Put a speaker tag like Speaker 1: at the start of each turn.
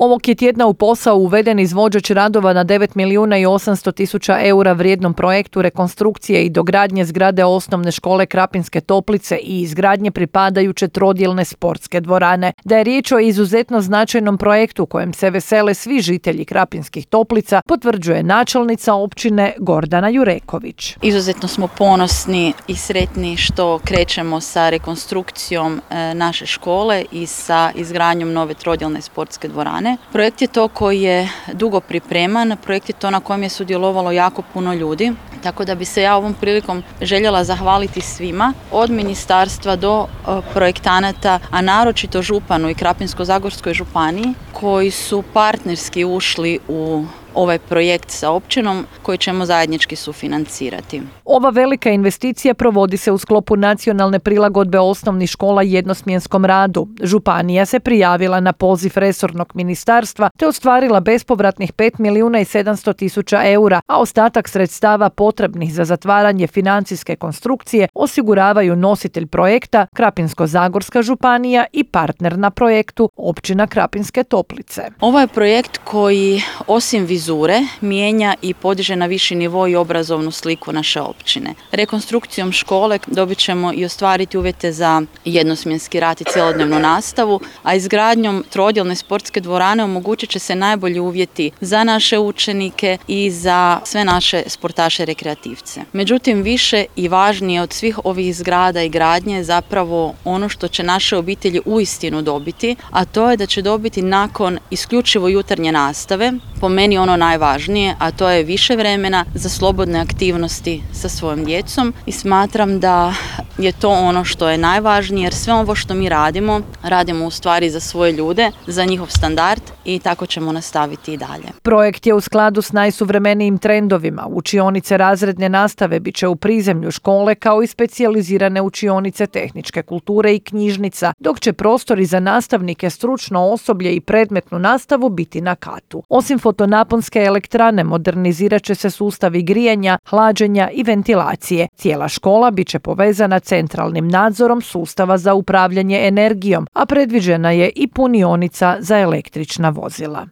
Speaker 1: Ovog je tjedna u posao uveden izvođač radova na 9 milijuna i 800 tisuća eura vrijednom projektu rekonstrukcije i dogradnje zgrade osnovne škole Krapinske Toplice i izgradnje pripadajuće trodjelne sportske dvorane. Da je riječ o izuzetno značajnom projektu kojem se vesele svi žitelji Krapinskih Toplica, potvrđuje načelnica općine Gordana Jureković.
Speaker 2: Izuzetno smo ponosni i sretni što krećemo sa rekonstrukcijom naše škole i sa izgradnjom nove trodjelne sportske dvorane. Projekt je to koji je dugo pripreman, projekt je to na kojem je sudjelovalo jako puno ljudi, tako da bi se ja ovom prilikom željela zahvaliti svima, od ministarstva do projektanata, a naročito županu i Krapinsko-zagorskoj županiji, koji su partnerski ušli u ovaj projekt sa općinom koji ćemo zajednički sufinancirati.
Speaker 1: Ova velika investicija provodi se u sklopu nacionalne prilagodbe osnovnih škola jednosmjenskom radu. Županija se prijavila na poziv resornog ministarstva te ostvarila bespovratnih 5 milijuna i 700 tisuća eura, a ostatak sredstava potrebnih za zatvaranje financijske konstrukcije osiguravaju nositelj projekta Krapinsko-zagorska županija i partner na projektu općina Krapinske Toplice.
Speaker 2: Ovo je projekt koji osim vizure mijenja i podiže na viši nivo i obrazovnu sliku naše općine. Rekonstrukcijom škole dobit ćemo i ostvariti uvjete za jednosmjenski rad i cjelodnevnu nastavu, a izgradnjom trodjelne sportske dvorane omogućit će se najbolji uvjeti za naše učenike i za sve naše sportaše rekreativce. Međutim, više i važnije od svih ovih zgrada i gradnje je zapravo ono što će naše obitelji uistinu dobiti, a to je da će dobiti nakon isključivo jutarnje nastave, po meni ono najvažnije, a to je više vremena za slobodne aktivnosti sa svojom djecom i smatram da je to ono što je najvažnije jer sve ovo što mi radimo u stvari za svoje ljude, za njihov standard i tako ćemo nastaviti i dalje.
Speaker 1: Projekt je u skladu s najsuvremenijim trendovima. Učionice razredne nastave bit će u prizemlju škole kao i specijalizirane učionice tehničke kulture i knjižnica, dok će prostori za nastavnike, stručno osoblje i predmetnu nastavu biti na katu. Osim fotonaponske elektrane modernizirat će se sustavi grijanja, hlađenja i ventilacije. Cijela škola bit će povezana centralnim nadzorom sustava za upravljanje energijom, a predviđena je i punionica za električna vozila.